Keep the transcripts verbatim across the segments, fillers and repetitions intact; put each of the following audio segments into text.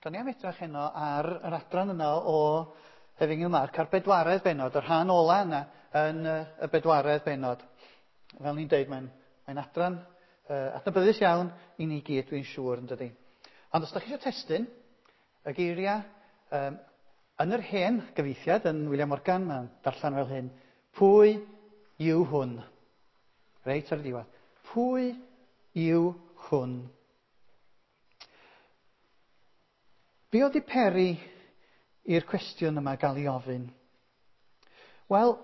Da ni am edrych heno ar yr adran yna o Efengyl Marc, a'r bedwaredd bennod, y rhan ola yna yn y bedwaredd bennod. Fel ni'n deud, mae'n mae adran uh, adnabyddus iawn i ni gyd, dwi'n siŵr, yn dydi. Ond os da chi eisiau testun, y geiriau um, yn yr hen gyfieithiad, yn William Morgan, mae'n darllen fel hyn, pwy yw hwn? Reit ar y diwedd. Pwy yw hwn? Be oedd 'di peri i'r cwestiwn yma gael ei ofyn? Wel,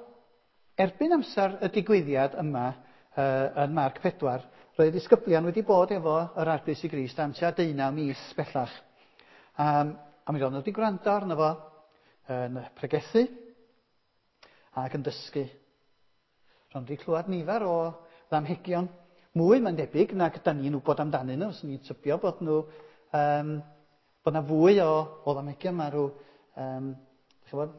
erbyn amser y digwyddiad yma uh, yn Marc pedwar, roedd y disgyblion wedi bod efo yr Arglwydd Iesu Grist am tua deunaw mis bellach. Um, a mi roedden nhw wedi gwrando arno fo yn pregethu ac yn dysgu. Roedden nhw wedi clywed nifer o ddamhegion, mwy mae'n debyg nag da ni'n wybod amdanyn nhw, os ni'n tybio bod nhw... Um, bod yna fwy o, o ddamhegion, mae rhyw um, chybod,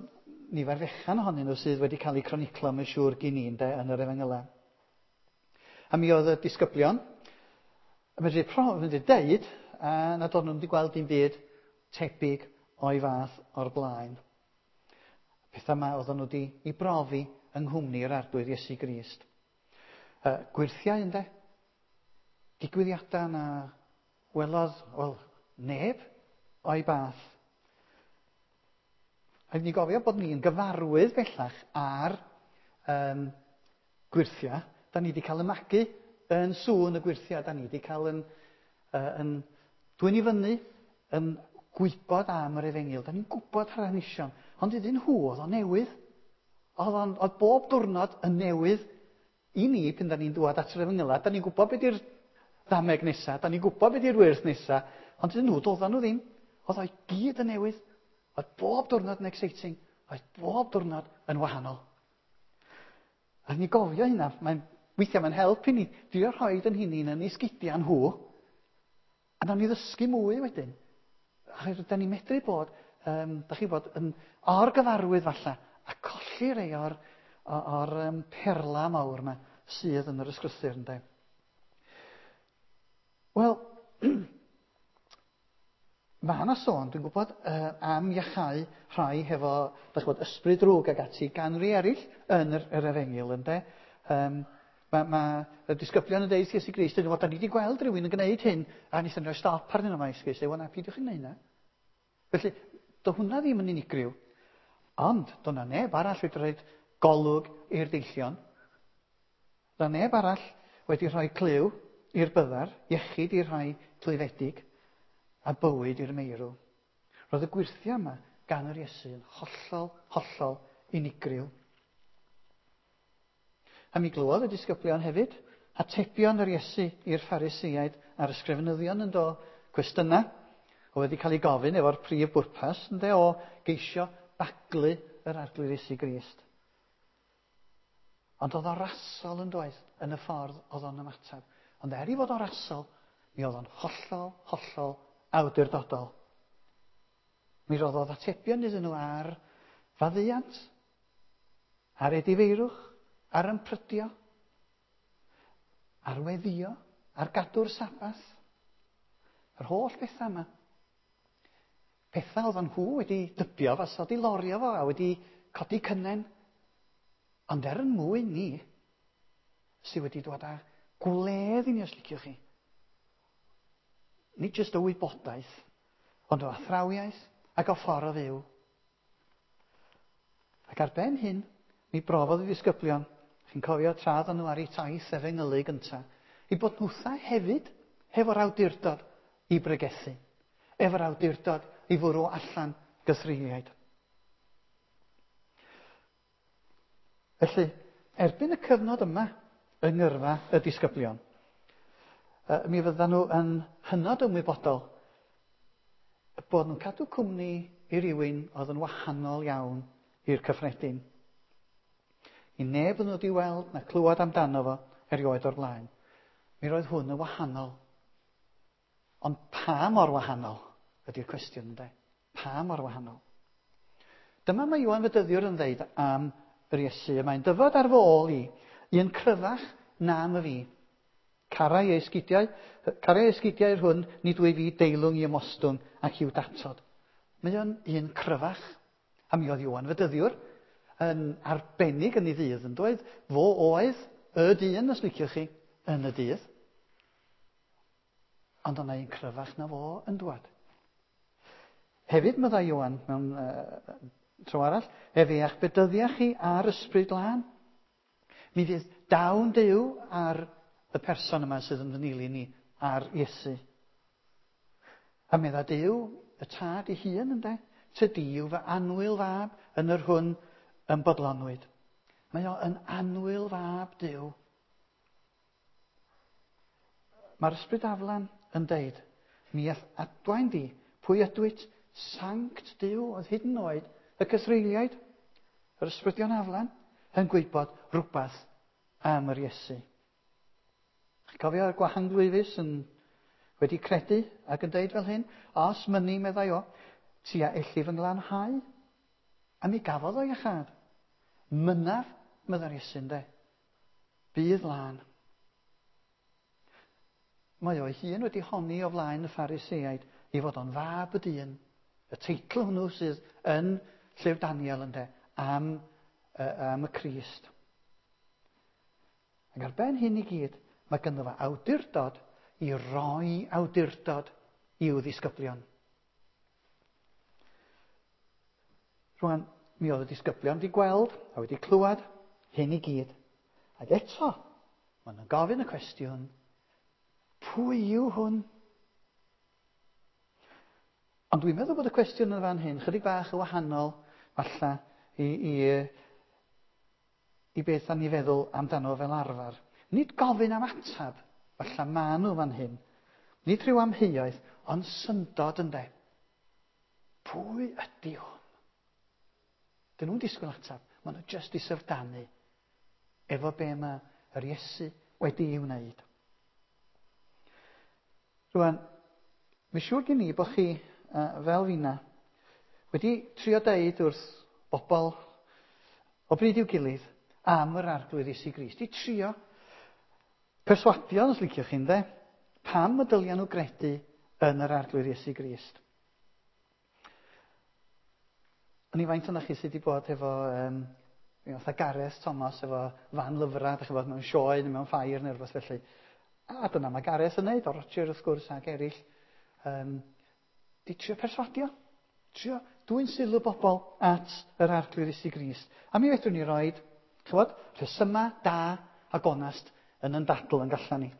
nifer fechan ohonyn nhw sydd wedi cael eu croniclo, mae'n siŵr gyn i ynde, yn yr Efengylau. A mi oedd y disgyblion yn medru, medru deud a nad oedden nhw'n wedi gweld dim byd tebyg o'i fath o'r blaen. Pethau yma oedden nhw wedi ei brofi yng nghwmni yr Arglwydd Iesu Grist. Uh, gwyrthiau ynde, digwyddiadau na welodd, wel, neb o'i bath. Rhaid ni gofio bod ni'n gyfarwydd bellach ar um, gwyrthiau. Da ni wedi cael y magu yn sŵn y gwyrthiau. Da ni wedi cael yn, uh, yn dwyn i fyny, yn gwybod am yr efengyl. Da ni'n gwybod ar hanesion. Ond iddyn nhw oedd o'n newydd. Oedd, on, oedd bob diwrnod yn newydd i ni pan da ni'n dŵad at yr efengylau. Da ni'n gwybod beth yw'r ddameg nesaf. Da ni'n gwybod beth yw'r wyrth nesaf. Ond iddyn nhw, doedden nhw ddim. Oedd o'i gyd yn newydd. Oedd bob diwrnod yn exciting. Oedd bob diwrnod yn wahanol. A ni gofio hynna. Mae'n, weithiau mae'n help i ni drio rhoi yn hunain yn ei sgidiau nhw. A nawn ni ddysgu mwy wedyn. Achos da ni'n medru bod, um, da chi bod, yn orgyfarwydd falle, a colli rei o'r, o'r um, perla mawr yma sydd yn yr ysgrythur, ynde. Wel, mae yna sôn, dwi'n gwybod, uh, am iachau rhai hefo, da chi'n gwybod, ysbryd drwg ag ati gan rai eraill yn yr, yr efengyl, ynde. Um, mae ma y disgyblion yn deud Iesu Grist, dyn nhw, da ni wedi gweld rhywun yn gwneud hyn, a wnaethon ni roi stop arnyn nhw, mae Iesu Grist, dweud, na, peidiwch yn gwneud hynna. Felly, do hwnna ddim yn unigryw, ond do na neb arall wedi rhoi golwg i'r deillion, do neb arall wedi rhoi clyw i'r byddar, iechyd i'r rhai clwyfedig, a bywyd i'r meirw. Roedd y gwyrthiau yma gan yr Iesu yn hollol, hollol unigryw. A mi glywodd y disgyblion hefyd atebion yr Iesu i'r Phariseaid a'r ysgrifenyddion yn do cwestiynau oedd wedi cael ei gofyn efo'r prif bwrpas ynde, o geisio baglu yr Arglwydd Iesu Grist. Ond oedd o'n rasol yn doedd yn y ffordd oedd o'n ymateb. Ond er i fod o'n rasol, mi oedd o'n hollol, hollol awdurdodol. Mi roddodd atebion iddyn nhw ar faddeuant, ar edifeirwch, ar ymprydio, ar weddio, ar gadw'r Sabath. Yr holl bethau yma. Pethau oedden nhw wedi dybio fasa wedi lorio fo a wedi codi cynnen. Ond er yn mwyn ni, sydd wedi dod â gwledd i ni os liciwch chi. Nid jyst o wybodaeth, ond o athrawiaeth ac o ffordd o fyw. Ac ar ben hyn, mi brofodd y disgyblion, chi'n cofio tra oedden nhw ar eu taith efengylu gyntaf, i bod nhwtha hefyd hefo'r awdurdod i bregethu, efo'r awdurdod i fwrw allan gythreuliaid. Felly, erbyn y cyfnod yma yng ngyrfa y disgyblion, mi fyddan nhw yn hynod ymwybodol bod nhw'n cadw cwmni i rywun oedd yn wahanol iawn i'r cyffredin. I neb yn nhw wedi weld na clywed amdano fo erioed o'r blaen. Mi roedd hwn yn wahanol. Ond pa mor wahanol ydy'r cwestiwn, ynde? Pa mor wahanol? Dyma mae Ioan Fedyddiwr yn ddeud am yr Iesu. Mae'n dyfod ar fy ôl i, un cryfach na my fi. Carai ei sgidiau, carai ei sgidiau yr hwn, nid wyf fi deilwng i ymostwng ac i'w datod. Mae o'n un cryfach. A mi oedd Ioan Fedyddiwr yn arbennig yn ei ddydd yn dweud, fo oedd y dyn, os liciwch chi, yn y dydd. Ond o'na un cryfach na fo yn dwad. Hefyd, meddai Ioan mewn uh, tro arall, efe a'ch bedyddiach chi ar ysbryd lân. Mi fydd dawn Duw ar y person yma sydd yn fy nilyn ni, ar Iesu. A medda Duw, y tad ei hun, ynde? Tydi yw fy annwyl fab yn yr hwn yn bodlonwyd. Mae o yn annwyl fab Duw. Mae'r ysbryd aflan yn deud, mi all adwaen di, pwy ydwyt, sanct Duw, oedd hyd yn oed y cythreuliaid, yr ysbrydion aflan, yn gwybod rhywbeth am yr Iesu. Chi'n cofio'r gwahanglwyfus yn wedi credu ac yn deud fel hyn, os mynni, meddai o, ti a elli fy nglanhau. A mi gafodd o iachâd. Mynnaf, meddai'r Iesu, ynde. Bydd lân. Mae o'i hun wedi honni o flaen y Phariseaid i fod o'n fab y dyn. Y teitl hwnnw sydd yn Llyfr Daniel, ynde, am, uh, am y Crist. Ac ar ben hyn i gyd, mae ganddo fo awdurdod i roi awdurdod i'w ddisgyblion. Rwan, mi oedd y disgyblion wedi gweld a wedi clywed hyn i gyd. Ac eto, maen nhw'n gofyn y cwestiwn, pwy yw hwn? Ond dwi'n meddwl bod y cwestiwn yn fan hyn chydig bach yn wahanol, falle, i, i, i beth da ni feddwl amdano fel arfer. Nid gofyn am atab, falle maen nhw fan hyn. Nid rhyw amheuaeth, ond syndod ynde. Pwy ydy hwn? Dyn nhw'n disgwyl atab, maen nhw jyst i syfrdanu efo be mae yr Iesu wedi'i wneud. Rwan, mi siŵr gen i bod chi, uh, fel finna, wedi trio deud wrth bobl o bryd i'w gilydd am yr Arglwydd Iesu Grist. I trio perswadio, os liciwch chi, ynde, pam y dylia nhw gredu yn yr Arglwydd Iesu Grist. O'n i faint o'na chi sydd wedi bod efo um, fatha Gareth Thomas, efo fan lyfrau, dach chi'n bod mewn sioe neu mewn ffair neu rhywbeth felly. A dyna mae Gareth yn neud, o Roger wrth gwrs ac eraill. Um, di trio perswadio. Trio dwyn sylw bobl at yr Arglwydd Iesu Grist. A mi fedrwn ni roed, ch'mod, rhesyma da a gonest yn yn dadl yn gallan ni.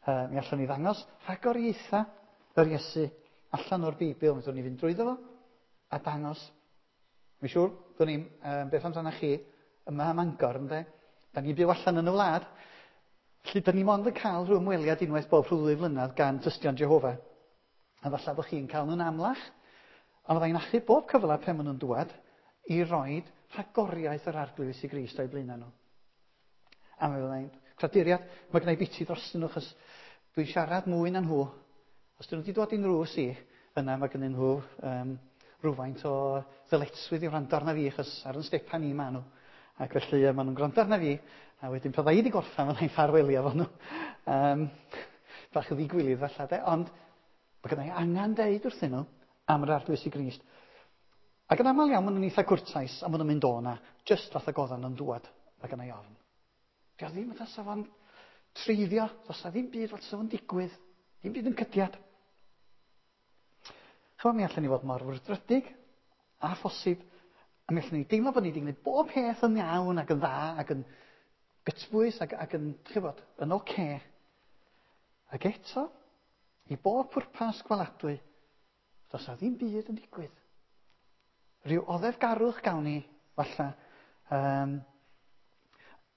Uh, mi allan ni ddangos rhagoriaetha yr Iesu allan o'r Beibl. Mi fedrwn ni fynd drwyddo fo a dangos. Mi'n siŵr, dwn i'm, um, beth amdano chi, yma ym Mangor, ynde? Da ni'n byw allan yn y wlad. Felly, da ni mond yn cael rhyw ymweliad unwaith bob rhyw ddwy flynedd gan Tystion Jehofa. A falle bod chi'n cael nhw'n amlach. Ond fyddai'n achub bob cyfle pan maen nhw'n dŵad i roed rhagoriaeth yr Arglwydd Iesu Grist o'i blaenau nhw. A mi fyddai'n craduriad, mae gennau biti drostyn nhw, achos dwi'n siarad mwy na nhw. Os dyn nhw wedi dod i'n nrws i, yna mae gennyn nhw um, rhywfaint o ddyletswydd i wrando arna fi, achos ar yn stepan i maen nhw. Ac felly maen nhw'n gwrando arna fi, a wedyn pan fydda i wedi gorffen, fyddai'n ffarwelio efo nhw. Um, bach o ddigwilydd falle, de, ond mae gennau angen deud wrthyn nhw am yr Arglwydd Iesu Grist. Ac yn aml iawn, maen nhw'n eitha cwrtais, a maen nhw'n mynd o na, jyst fatha goddan nhw'n dŵad, mae gennau ofn. Dio ddim fatha sa fo'n treiddio, does na ddim byd fatha sa fo'n digwydd, ddim byd yn cydiad. Chymod, mi allan ni fod mor frwdfrydig a phosib, a mi allan ni deimlo bod ni wedi gwneud bob peth yn iawn ac yn dda ac yn gytbwys ac, ac yn, chybod, yn oce. Ac eto, i bob pwrpas gweladwy, does na ddim byd yn digwydd. Rhyw oddefgarwch gawn ni, falle. Um,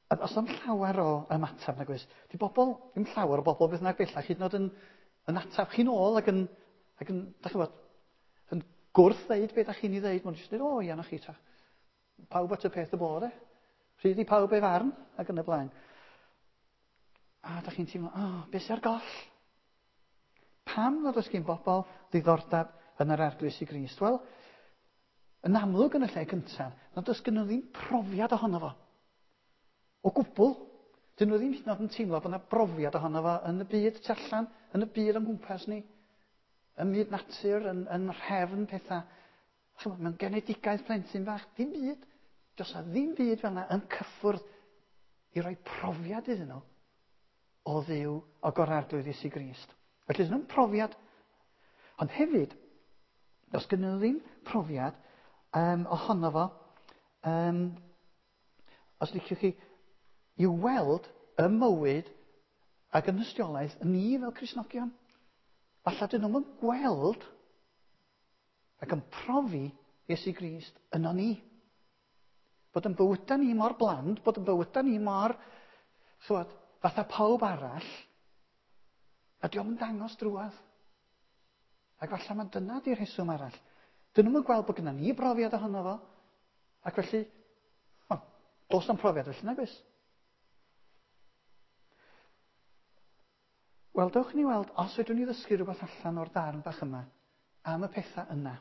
a os am llawer o ymateb nag oes, di bobl, ddim llawer o bobl beth bynnag bellach, hyd yn oed yn, yn ateb chi'n ôl ac yn, ac yn, dach chi'n gwbod, yn gwrth ddeud beth dach chi'n ei ddeud, maen nhw'n jyst dweud, o, ia, na chi ta. Pawb at y peth y bod, e. Rhydd i pawb ei farn, ac yn y blaen. A dach chi'n teimlo, o, oh, beth sy'n ar goll? Pam nad oes gen bobl ddiddordeb yn yr Arglwydd Iesu Grist? Wel, yn amlwg yn y lle cyntaf, nad oes gen nhw ddim profiad ohono fo. O gwbl. Dyn nhw ddim hyd yn oed yn teimlo bod yna brofiad ohono fo yn y byd tu allan, yn y byd o'n gwmpas ni, ym myd natur, yn, yn rhefn pethau. Chymod, mewn genedigaeth plentyn bach, dim byd. Does na ddim byd fel yna yn cyffwrdd i roi profiad iddyn nhw o Dduw o gorarglwydd Iesu Grist. Felly, dyn nhw'n profiad. Ond hefyd, does gynnu nhw ddim profiad um, ohono fo, um, os liciwch chi, i weld y mywyd ac yn ystiolaeth ni fel Cristnogion. Falle dyn nhw'n gweld ac yn profi Iesu Grist yno ni. Bod yn bywydau ni mor bland, bod yn bywydau ni mor, chywod, fatha pawb arall, a diolch yn dangos drwadd. Ac falle mae dyna di'r rheswm arall. Dyn nhw'n gweld bod gyda ni brofiad ohono fo, ac felly, o, does na'm profiad felly nag oes? Wel, dewch ni weld os fedrwn ni ddysgu rhywbeth allan o'r darn bach yma am y pethau yna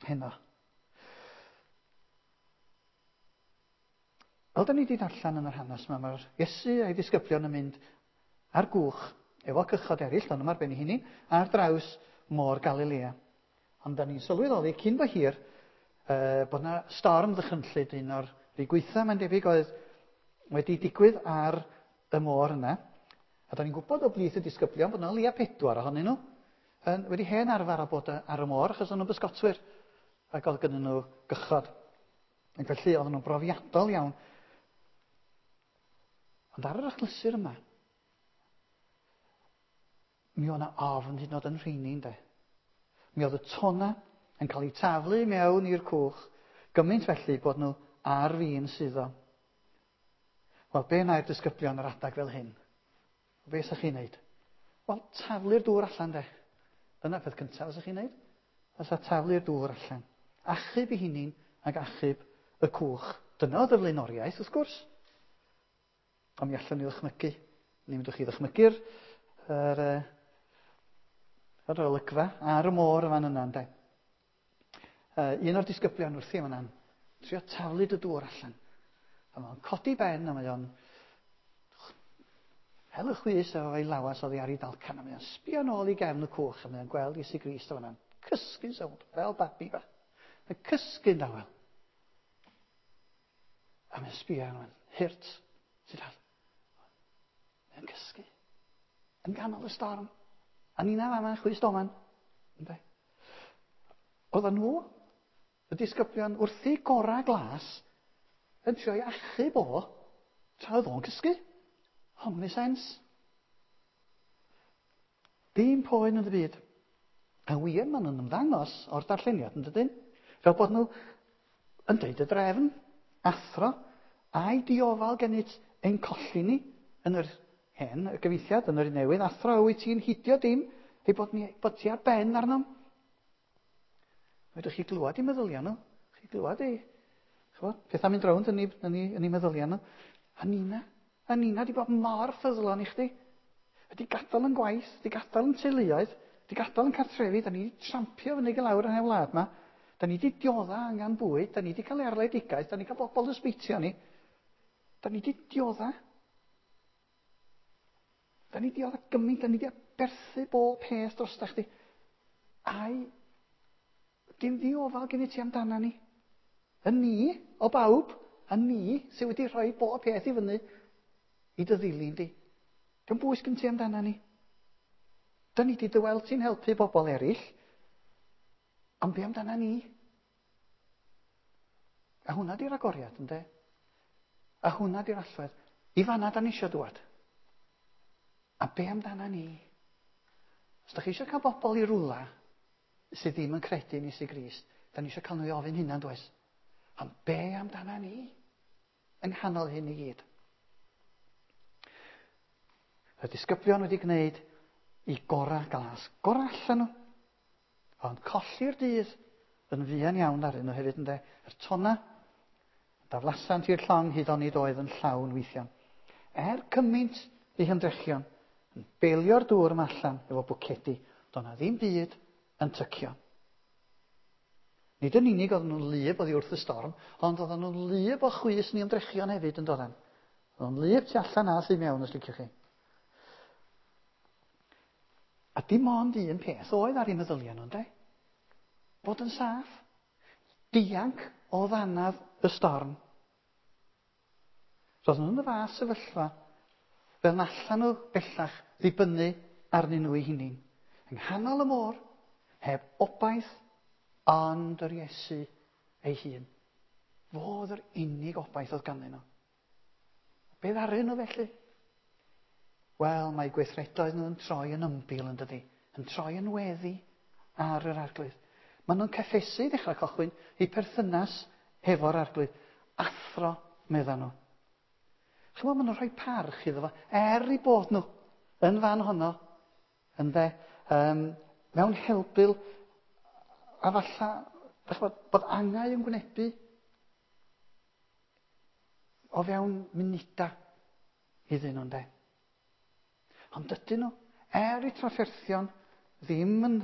heno. Fel da ni wedi darllen yn yr hanes yma, mae'r Iesu a'i ddisgyblion yn mynd ar gwch efo cychod eraill, ond yma ar ben ei hunain, ar draws môr Galilea. Ond da ni'n sylweddoli cyn bo hir uh, bod yna storm ddychrynllyd, un o'r rhai gweitha mae'n debyg oedd wedi digwydd ar y môr yna. A da ni'n gwybod o blith y disgyblion bod yna leia pedwar ohonyn nhw yn, wedi hen arfer â bod ar y môr achos o'n nhw'n bysgotwyr ac oedd gynnyn nhw gychod. Ac felly oedden nhw'n brofiadol iawn. Ond ar yr achlysur yma, mi oedd yna ofn hyd yn oed yn rheini, ynde. Mi oedd y tona yn cael eu taflu mewn i'r cwch, gymaint felly bod nhw ar fin suddo. Wel, be wna'r disgyblion yr adag fel hyn? Be sa chi'n neud? Wel, taflu'r dŵr allan, de. Dyna peth cyntaf fysa chi'n neud. Fysa taflu'r dŵr allan. Achub i hunin ac achub y cwch. Dyna oedd y flaenoriaeth, wrth gwrs. Ond mi allwn ni ddychmygu. Ni myndwch chi ddychmygu'r yr, yr olygfa ar y môr y fan yna, ynde. Uh, un o'r disgyblion wrthi yn fan'na, trio taflu y dŵr allan. A mae'n codi ben a mae o'n hel y chwys efo ei lawas oddi ar ei dalcan a mae o'n sbio nôl i gefn y cwch a mae o'n gweld Iesu Grist o fan'na'n cysgu'n sownd, fel babi bach. Mae'n cysgu'n dawel. A mae'n sbio arno fo'n hurt. Sy'n dal. Mae'n cysgu. Yn ganol y storm. A nina fama, chwys doman. Ynde? Oedden nhw, y disgyblion, wrth eu gorau glas, yn trio i achub o, tra oedd o'n cysgu. Hwn yn sens. Dim poen yn y byd. A wir, maen nhw'n ymddangos o'r darlleniad, yn dydyn? Fel bod nhw yn deud y drefn, athro, a'i diofal gennyt ein colli ni yn yr hen y gyfieithiad, yn yr un newydd, athro, wyt ti'n hidio dim, ei bod, ni, bod ti ar ben arnom. Fedrwch chi glywed i meddyliau nhw. Chi glywed i, ch'bod, pethau'n mynd rownd yn ei, yn ei, yn ei meddyliau nhw. A nina, a nina di bod mor ffyddlon i chdi. Wedi gadael yn gwaith, wedi gadael yn teuluoedd, wedi gadael yn cartrefi, da ni wedi trampio fyny i lawr yn y wlad yma. Da ni wedi diodda angen bwyd, da ni wedi cael erledigaeth, da ni wedi cael bobl yn sbeitio ni. Da ni wedi diodda. Da ni wedi diodda gymaint, da ni wedi aberthu bob peth drosta chdi. Ai, dim ddiofal gen i ti amdana ni. Y ni, o bawb, a ni sydd wedi rhoi bob peth i fyny i dy ddilyn di. Dim bwys gen ti amdana ni. Da ni wedi dy weld ti'n helpu bobl eraill, ond be amdana ni? A hwnna di'r agoriad, ynde? A hwnna di'r allwedd. I fanna da ni eisiau dŵad. A be amdana ni? Os da chi eisiau cael bobl i rwla sydd ddim yn credu yn Iesu Grist, da ni eisiau cael nhw i ofyn hynna'n does? Ond be amdana ni? Yng nghanol hyn i gyd. Y disgyblion wedi gwneud i gorau glas. Gorau allan nhw. Ond colli'r dydd yn fuan iawn arnyn nhw hefyd, ynde. Yr tonna, daflasant i'r llong hyd onid oedd yn llawn weithiau. Er cymaint eu hymdrechion, yn belio'r dŵr yma allan efo bwcedi, doedd 'na ddim byd yn tycio. Nid yn unig oedden nhw'n wlyb oddi wrth y storm, ond oedden nhw'n wlyb o chwys ni ymdrechion hefyd yn doedden. Oedd o'n wlyb tu allan a tu mewn, os liciwch chi. A dim ond un peth oedd ar eu meddyliau nhw, ynde? Bod yn saff. Dianc o ddannadd y storm. Roedd nhw'n y fath sefyllfa fel na allan nhw bellach ddibynnu arnyn nhw eu hunain. Yng nghanol y môr, heb obaith, ond yr Iesu ei hun. Fo oedd yr unig obaith oedd ganddyn nhw. Be ddaru nhw felly? Wel, mae gweithredoedd nhw'n troi yn ymbil, yn dydi? Yn troi yn weddi ar yr Arglwydd. Maen nhw'n cyffesu i ddechrau cychwyn eu perthynas hefo'r Arglwydd. Athro, medda nhw. Chymod, maen nhw'n rhoi parch iddo fo, er i bod nhw yn fan honno, ynde, um, mewn helbul, a falla, chymod, bod angau yn gwynebu o fewn munuda iddyn nhw, ynde. Ond dydyn nhw, er eu trafferthion, ddim yn,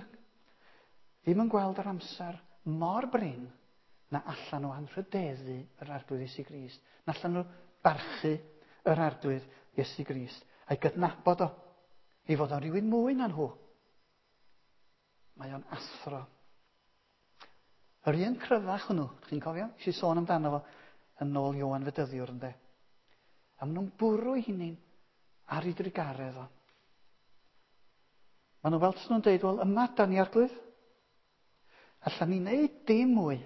ddim yn gweld yr amser mor brin na allan nhw anrhydeddu yr Arglwydd Iesu Grist. Na allan nhw barchu yr Arglwydd Iesu Grist. A'i gydnabod o, ei fod o'n rhywun mwy na nhw. Mae o'n athro. Yr un cryfach hwnnw, chi'n cofio? Nes i sôn amdano fo yn ôl Ioan Fedyddiwr, ynde. A maen nhw'n bwrw eu hunain ar ei drugaredd o. Maen nhw fel tas nhw'n deud, wel, yma da ni, Arglwydd. Allan ni wneud dim mwy.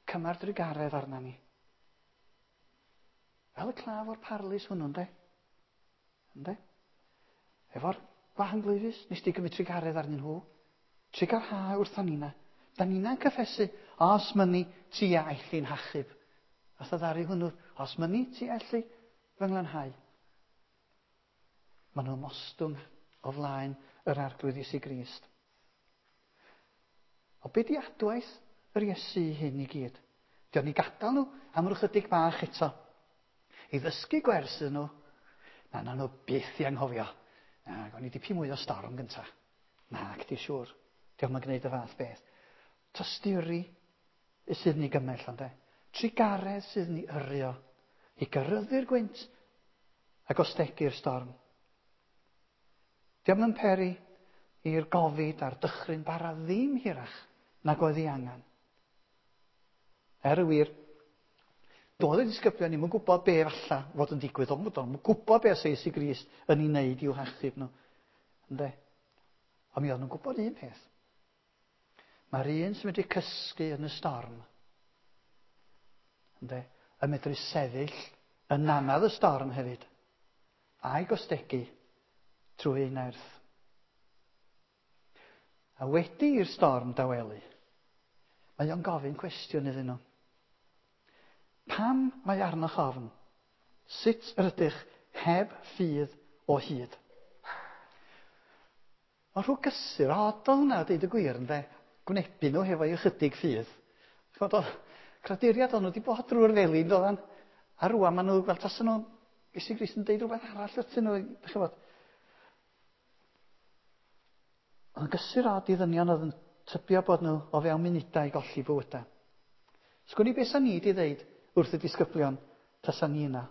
Cymar drugaredd arna ni. Fel y claf o'r parlys hwnnw, ynde? Ynde? Efo'r gwahanglwyfus, nes di gymryd trugaredd arnyn nhw. Trugarha wrtho nina. Da nina'n cyffesu, os mynni ti a elli'n hachub. A ddaru hwnnw, os mynni ti elli fy nglanhau. Maen nhw'n mostwng o flaen yr Arglwydd Iesu Grist. O be di adwaith yr Iesu hyn i gyd? Di o'n i gadael nhw am ryw chydig bach eto. I ddysgu gwers iddyn nhw, na, na nhw byth i anghofio. Na, gawn ni dipyn mwy o storm gynta. Na, cdi siŵr. Di o'm yn gwneud y fath beth. Tosturi sydd ni gymell, ynde. Trugaredd sydd ni yrru o i gyryddu'r gwynt a gostegu'r storm. Di o'm yn peri i'r gofid a'r dychryn bara ddim hirach nag oedd ei angen. Er y wir, doedd y disgyblion ddim yn gwybod be falla fod yn digwydd, ond doedd nhw'n gwybod be oedd Iesu Grist yn ei wneud i'w hachub nhw. Ynde? Ond mi oedden nhw'n gwybod un peth. Mae'r un sy'n medru cysgu yn y storm, ynde, yn medru sefyll yn nannedd y storm hefyd, a'i gostegu trwy ei nerth. A wedi i'r storm dawelu, mae o'n gofyn cwestiwn iddyn nhw. Pam mae arnoch ofn? Sut yr ydych heb ffydd o hyd? Mae rhyw gysur od o hwnna, deud y gwir, ynde? Gwynebu nhw hefo ychydig ffydd. Ch'mod, oedd craduriad o'n nhw wedi bod drwy'r felin, doeddan. A rŵan maen nhw, fel tasen nhw, Iesu Grist yn deud rhywbeth arall wrthyn nhw, dych chi'n gwbod. Oedd yn gysur od i ddynion oedd yn tybio bod nhw o fewn munudau i golli bywydau. Sgwn i beth sa ni wedi ddeud wrth y disgyblion tasa ni yna.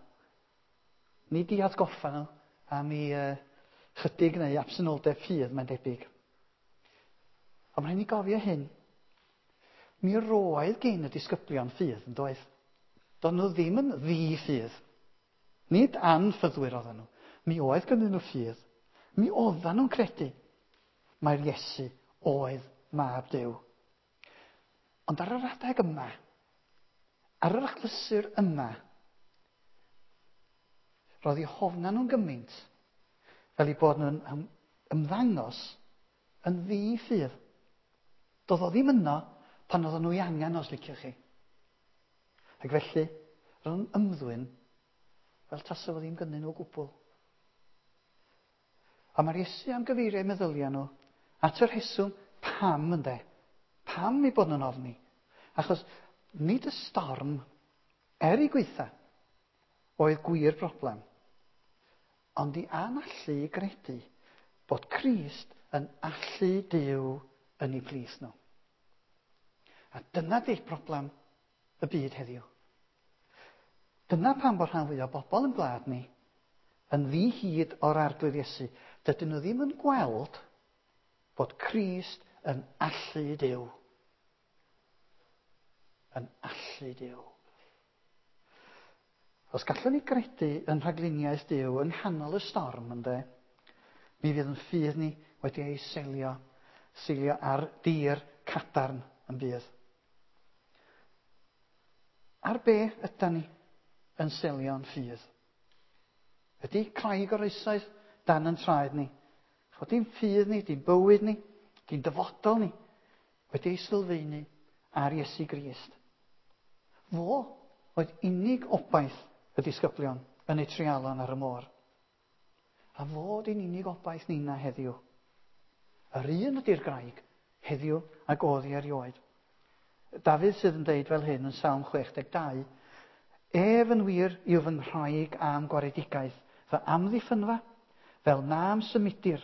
Ni di atgoffa nhw am i uh, chydig neu absenoldeb ffydd, mae'n debyg. Ond mae'n rhaid ni gofio hyn. Mi roedd gen y disgyblion ffydd, yn doedd? Doedd nhw ddim yn ddi-ffydd. Nid anffyddwyr oedden nhw. Mi oedd gynnyn nhw ffydd. Mi oedden nhw'n credu mai'r Iesu oedd mab Duw. Ond ar yr adeg yma, ar yr achlysur yma, roedd eu hofna nhw'n gymaint fel eu bod nhw'n ymddangos yn ddi-ffydd. Doedd o ddim yno pan oedden nhw ei angen, os liciwch chi. Ac felly, roedd nhw'n ymddwyn fel tasa fo ddim gynnyn nhw o gwbl. A mae'r Iesu am gyfeirio meddyliau nhw at y rheswm pam, ynde? Pam eu bod nhw'n ofni? Achos nid y storm, er ei gweitha, oedd gwir broblem, ond i anallu i gredu bod Crist yn allu Duw yn eu plith nhw. A dyna di'r broblem y byd heddiw. Dyna pam bod rhan fwyaf o bobl yn gwlad ni yn ddi-hid o'r Arglwydd Iesu. Dydyn nhw ddim yn gweld bod Crist yn allu Duw. Yn allu Duw. Os gallwn ni gredu yn rhagluniaeth Duw yng nghanol y storm, ynde, mi fydd yn ffydd ni wedi ei selio, seilio ar dir cadarn yn bydd. Ar be ydan ni yn selio'n ffydd? Ydy craig o'r oesoedd dan yn traed ni? Chod di'n ffydd ni, di'n bywyd ni, di'n dyfodol ni, wedi ei sylfaenu ar Iesu Grist. Fo oedd unig obaith y disgyblion yn eu treialon ar y môr. A fo di'n unig obaith nina heddiw. Yr un ydy'r graig heddiw ac oedd hi erioed. Dafydd sydd yn deud fel hyn yn Salm chwech deg dau, Ef yn wir yw fy nghraig a'm gwaredigaeth, fy amddiffynfa, fel na'm symudir.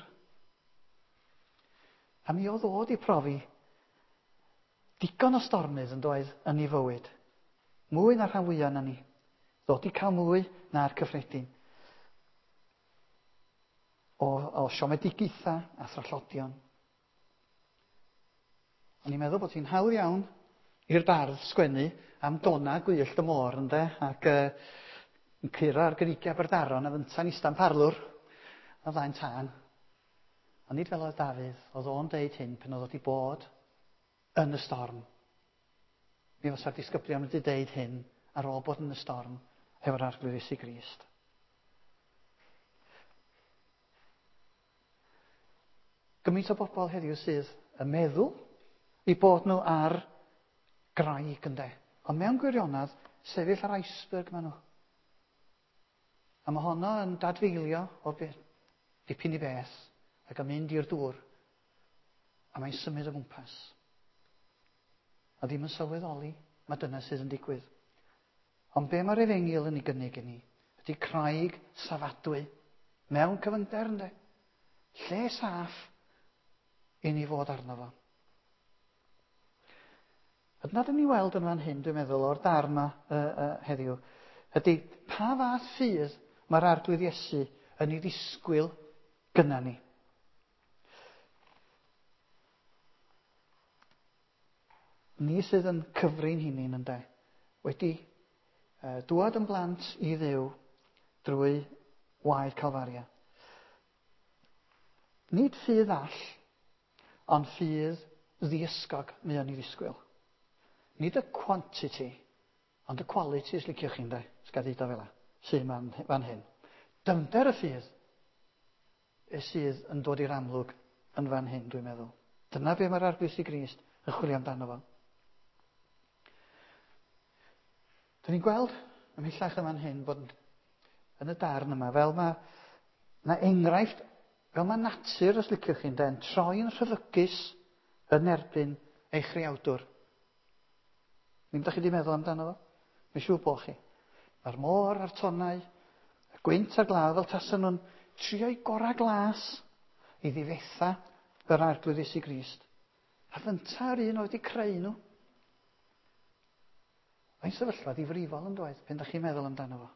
A mi oedd o 'di profi digon o stormydd yn doedd yn ei fywyd. Mwy na'r rhan fwyaf na ni. Ddod i cael mwy na'r cyffredin. O, o siomedigaethau a thrallodion. O'n i'n meddwl bod hi'n hawdd iawn i'r bardd sgwennu am dona gwyllt y môr, ynde, ac uh, yn curo ar greigiau Aberdaron a fynta'n ista'n parlwr o flaen tân. Ond nid fel oedd Dafydd, oedd o'n deud hyn pan oedd o wedi bod yn y storm. Mi fysa'r disgyblion wedi deud hyn ar ôl bod yn y storm efo'r Arglwydd Iesu Grist. Gymaint o bobl heddiw sydd yn meddwl i bod nhw ar graig, ynde. Ond mewn gwirionedd, sefyll ar iceberg maen nhw. A mae honno yn dadfeilio o be, dipyn i beth ac yn mynd i'r dŵr. A mae'n symud o gwmpas. A ddim yn sylweddoli, mae dyna sydd yn digwydd. Ond be mae'r efengyl yn ei gynnig i ni ydy craig safadwy mewn cyfyngder, ynde. Lle saff i ni fod arno fo. A dyna dyn ni weld yn fan hyn, dwi'n meddwl, o'r darn yma uh, uh, heddiw, ydy pa fath ffydd mae'r Arglwydd Iesu yn ei ddisgwyl gynna ni. Ni sydd yn cyfri'n hunain, ynde, wedi uh, dŵad yn blant i Dduw drwy waed Calfaria. Nid ffydd all, ond ffydd ddiysgog mae o'n ei ddisgwyl. Nid y quantity, ond y quality, os liciwch chi, ynde, os gael deud o fel 'a, sydd fan, fan hyn. Dyfnder y ffydd sydd yn dod i'r amlwg yn fan hyn, dwi'n meddwl. Dyna be mae'r Arglwydd Iesu Grist yn chwilio amdano fo. Dyn ni'n gweld ymhellach yn fan hyn bod yn y darn yma, fel mae na enghraifft, fel mae natur, os liciwch chi, ynde, yn troi'n rhyfygus yn erbyn ei chreawdwr. Ddim da chi wedi meddwl amdano fo? Mae'n siŵr bod chi. Mae'r môr a'r tonnau, y gwynt a'r glaw, fel tasen nhw'n trio'i gorau glas i ddifetha yr Arglwydd Iesu Grist. A fynta'r un oedd wedi creu nhw. Mae'n sefyllfa ddifrifol yn dweud, pan da chi'n meddwl amdano fo.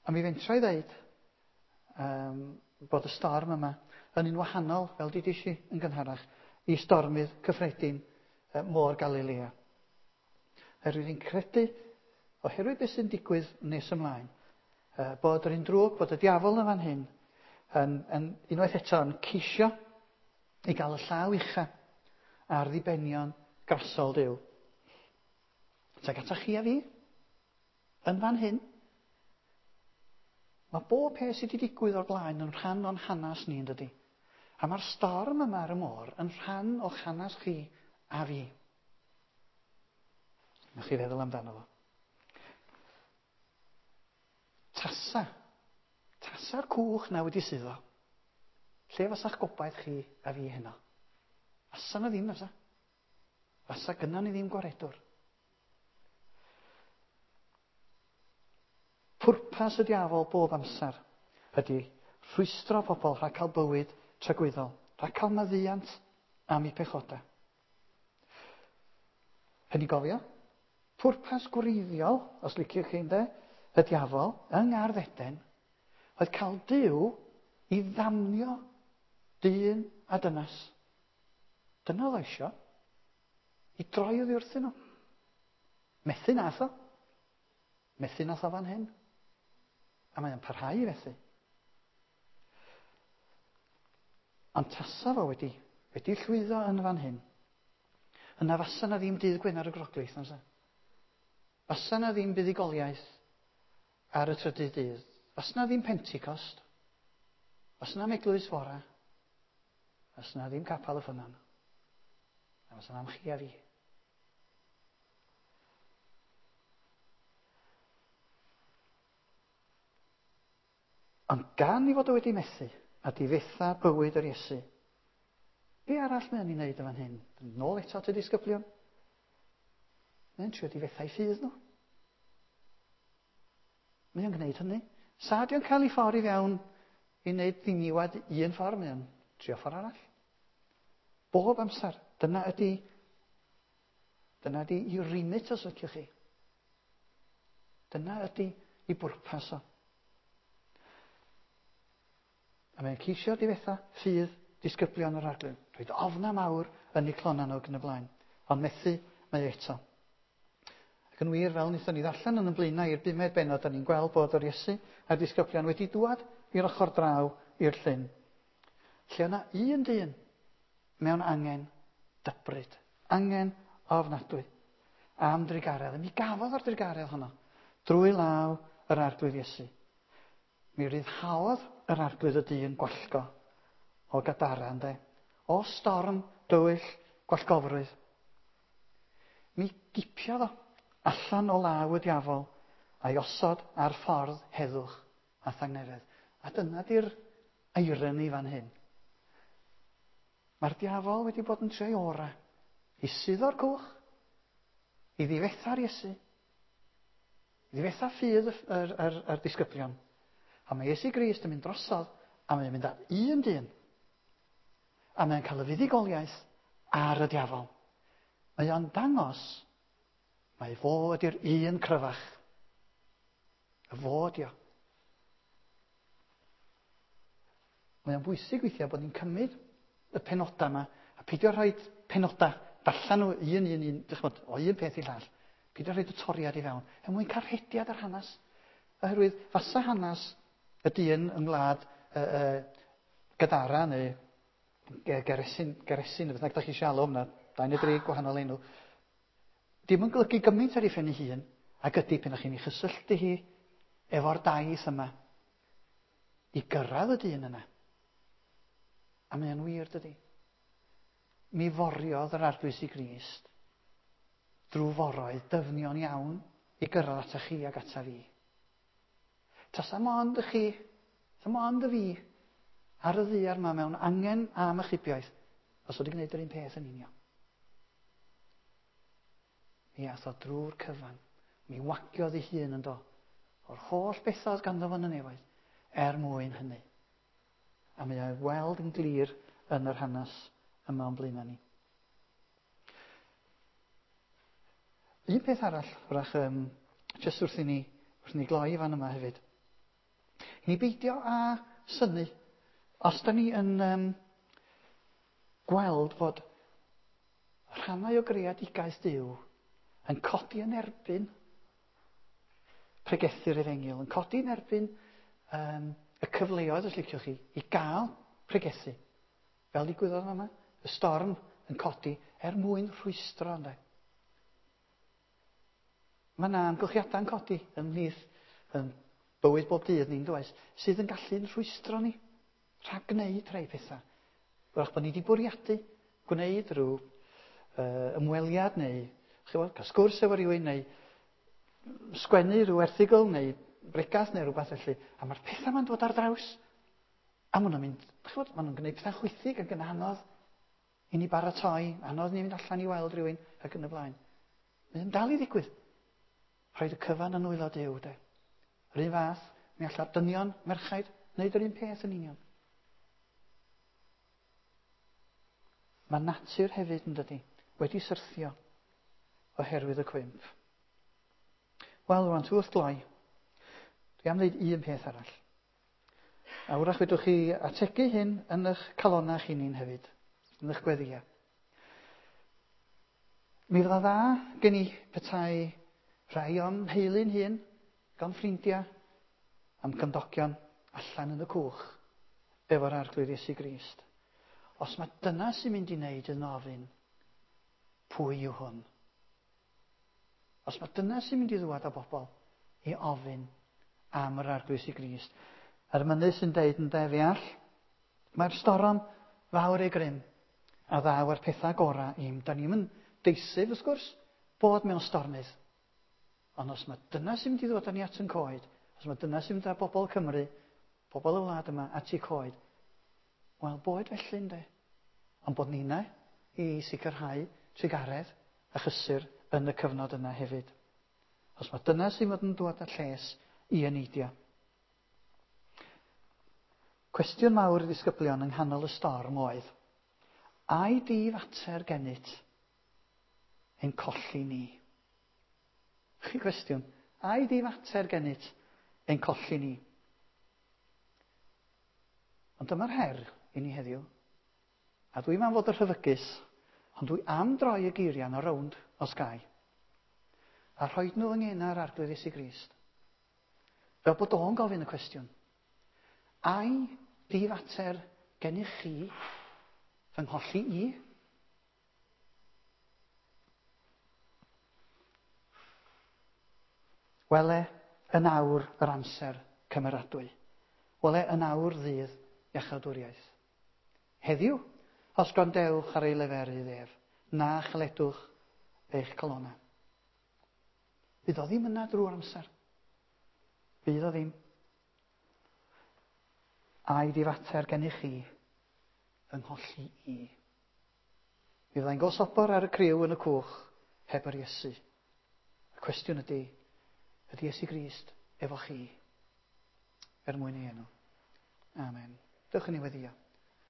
A mi fentra i ddeud um, bod y storm yma yn un wahanol, fel dudis i yn gynharach, i stormydd cyffredin uh, môr Galilea. Oherwydd fi'n credu, oherwydd beth sy'n digwydd nes ymlaen, uh, bod yr un drwg, bod y diafol yn fan hyn, yn, yn unwaith eto yn ceisio i gael y llaw ucha ar ddibenion grasol Duw. Tuag ata chi a fi, yn fan hyn, mae bob peth sydd wedi digwydd o'r blaen yn rhan o'n hanes ni, yn dydi? A mae'r storm yma ar y môr yn rhan o'ch hanes chi a fi. Newch chi feddwl amdano fo. Tasa. Tasa'r cwch na wedi suddo. Lle fasa'ch gobaith chi a fi heno? Fasa na ddim, fasa. Fasa gynnon ni ddim gwaredwr. Pwrpas y diafol bob amser ydy rhwystro pobl rhag cael bywyd tragwyddol, rhag cael maddeuant am eu pechodau. Hynny gofio, Pwrpas gwreiddiol, os liciwch chi ynde, y diafol, yng Ngardd Eden, oedd cael Duw i ddamnio dyn a dynas. Dyna oedd o isio. I droi oddi wrthyn nhw. Methu nath o. Methu nath o fan hyn. A mae o'n parhau i fethu. Ond tasa fo wedi, wedi llwyddo yn fan hyn, yna fasa na ddim dydd Gwener y Groglith, na fysa? Fasa na ddim buddugoliaeth ar y trydydd dydd. Fasa na ddim Pentecost. Fasa na eglwys fora. Fasa na ddim capel y ffynnon. A fasa na'm chi a fi. Ond gan i fod o wedi methu a difetha bywyd yr Iesu, be arall mae'n ei wneud yn fan hyn? Nôl eto at y disgyblion. Mae'n trio difetha eu ffydd nhw. Mae o'n gwneud hynny. Sa di o'n cael ei ffordd i fewn i wneud ddiniwad un ffordd, mae o'n trio ffordd arall. Bob amser. Dyna ydy, dyna ydy i remit, os liciwch chi. Dyna ydy i bwrpas o. A mae'n ceisio difetha ffydd disgyblion yr Arglwydd. Rhoid ofna mawr yn eu clona nhw ac yn y blaen. Ond methu mae eto. Ac yn wir, fel wnaethon ni ddarllen yn y blaenau i'r bumed bennod, da ni'n gweld bod yr Iesu a'r disgyblion wedi dŵad i'r ochr draw i'r llyn. Lle yna un dyn mewn angen dybryd, angen ofnadwy am drugaredd. Mi gafodd o'r drugaredd honno drwy law yr Arglwydd Iesu. Mi ryddhaodd yr Arglwydd y dyn gwallgo o Gadara, ynde? O storm dywyll gwallgofrwydd. Mi gipiodd o allan o law y diafol a'i osod ar ffordd heddwch a thangnefedd. A dyna di'r irony fan hyn. Mae'r diafol wedi bod yn trio'i ora i suddo'r cwch, i ddifetha'r Iesu, i ddifetha ffydd yr, yr, yr, yr disgyblion. A mae Iesu Grist yn mynd drosodd, a mae'n mynd at un dyn. A mae'n cael y fuddugoliaeth ar y diafol. Mae o'n dangos mae fo ydy'r un cryfach. Y fo ydi o. Mae o'n bwysig weithiau bod ni'n cymryd y penodau yma a peidio rhoi penodau, darllen nhw un, un, un, dychmod, o un peth i llall. Peidio rhoi y toriad i fewn. Er mwyn cael rhediad ar hanes. Oherwydd fasa hanes y dyn yng ngwlad uh, uh, Gadara neu Geresin, Geresin, beth bynnag da chi eisiau alw hwnna, dau neu dri gwahanol enw, dim yn golygu gymaint ar ei phen ei hun, ac ydy pan ych chi'n ei chysylltu hi efo'r daith yma i gyrraedd y dyn yna. A mae o'n wir, dydy. Mi foriodd yr Arglwydd Iesu Grist drwy foroedd dyfnion iawn i gyrraedd ata chi ac ata fi. Tasa mond y chi, tasa mond y fi, ar y ddaear yma mewn angen am achubiaeth, os wedi gwneud yr un peth yn union. Mi ath o drwy'r cyfan, mi wagiodd ei hun yn do, o'r holl bethau oedd ganddo fo yn y nefoedd, er mwyn hynny. A mae o'i weld yn glir yn yr hanes yma o'n blaenau ni. Un peth arall, wrach, um, jyst wrth i ni, wrth i ni gloi fan yma hefyd. I ni beidio â synnu, os da ni yn um, gweld fod rhannau o greadigaeth Duw yn codi yn erbyn pregethu'r efengyl, yn codi yn erbyn um, y cyfleoedd, os liciwch chi, i gael pregethu. Fel ddigwyddodd yma, y storm yn codi er mwyn rhwystro, ynde. Mae yna amgylchiadau'n codi ymhlith yn bywyd bob dydd ni'n does, sydd yn gallu'n rhwystro ni rhag gwneud rhai pethau. Wrach bod ni wedi bwriadu gwneud rhyw uh, ymweliad neu ch'bod, cael sgwrs efo rhywun neu sgwennu rhyw erthygl neu bregath neu rhywbeth felly. A mae'r pethau ma'n dod ar draws. A maen nhw'n mynd, ch'bod, maen nhw'n gwneud pethau chwithig ac yn anodd i ni baratoi, anodd ni fynd allan i weld rhywun ac yn y blaen. Mae'n dal i ddigwydd. Rhaid y cyfan yn nwylo Duw, de. Yr un fath, mi alla'r dynion, merchaid, wneud yr un peth yn union. Mae natur hefyd yn dydi, wedi syrthio oherwydd y cwymp. Wel, rwan, wrth gloi, dwi am ddeud un peth arall. A wrach fedrwch chi ategu hyn yn eich calonnau chi'n hefyd, yn eich gweddïau. Mi fydda dda gen i petai rhai o'n nheulu'n hun, gan ffrindiau, am gymdogion allan yn y cwch efo'r Arglwydd Iesu Grist. Os mae dyna sy'n mynd i wneud yn ofyn, pwy yw hwn? Os mae dyna sy'n mynd i ddwad â bobl i ofyn am yr Arglwydd Iesu Grist. A'r mynydd sy'n deud yn de, fe all, mae'r storom fawr ei grym a ddaw ar pethau gorau i'm. Da ni'm yn deisyf, wrth gwrs, bod mewn stormydd. Ond os mae dyna sy'n mynd i ddod â ni at yn coed, os mae dyna sy'n mynd â bobl Cymru, bobl y wlad yma, at eu coed, wel, boed felly, ynde. Ond bod ni'na i sicrhau trugaredd a chysur yn y cyfnod yna hefyd. Os mae dyna sy'n fod yn dod â lles i eneidio. Cwestiwn mawr i ddisgyblion yng nghanol y storm oedd, ai di fater gennyt ein colli ni? Chi cwestiwn, ai di fater gennyt ein colli ni? Ond dyma'r her i ni heddiw. A dwi'n am fod y rhyfygus, ond dwi am droi y geiriau yna rownd os gai. A rhoi nhw yng ngena'r Arglwydd Iesu Grist. Fel bod o'n gofyn y cwestiwn. Ai di fater gennych chi fy ngholli i? Wele yn awr yr amser cymeradwy. Wele yn awr ddydd iachawdwriaeth. Heddiw, os gwrandewch ar ei leferydd ef, na chaledwch eich calonnau. Fydd o ddim yna drwy'r amser. Fydd o ddim. Ai di fater gennych chi fy ngholli i? Mi fyddai'n gosobor ar y criw yn y cwch heb yr Iesu. Y cwestiwn ydy, ydy Iesu Grist efo chi? Er mwyn ei enw. Amen. Dewch i ni weddïo.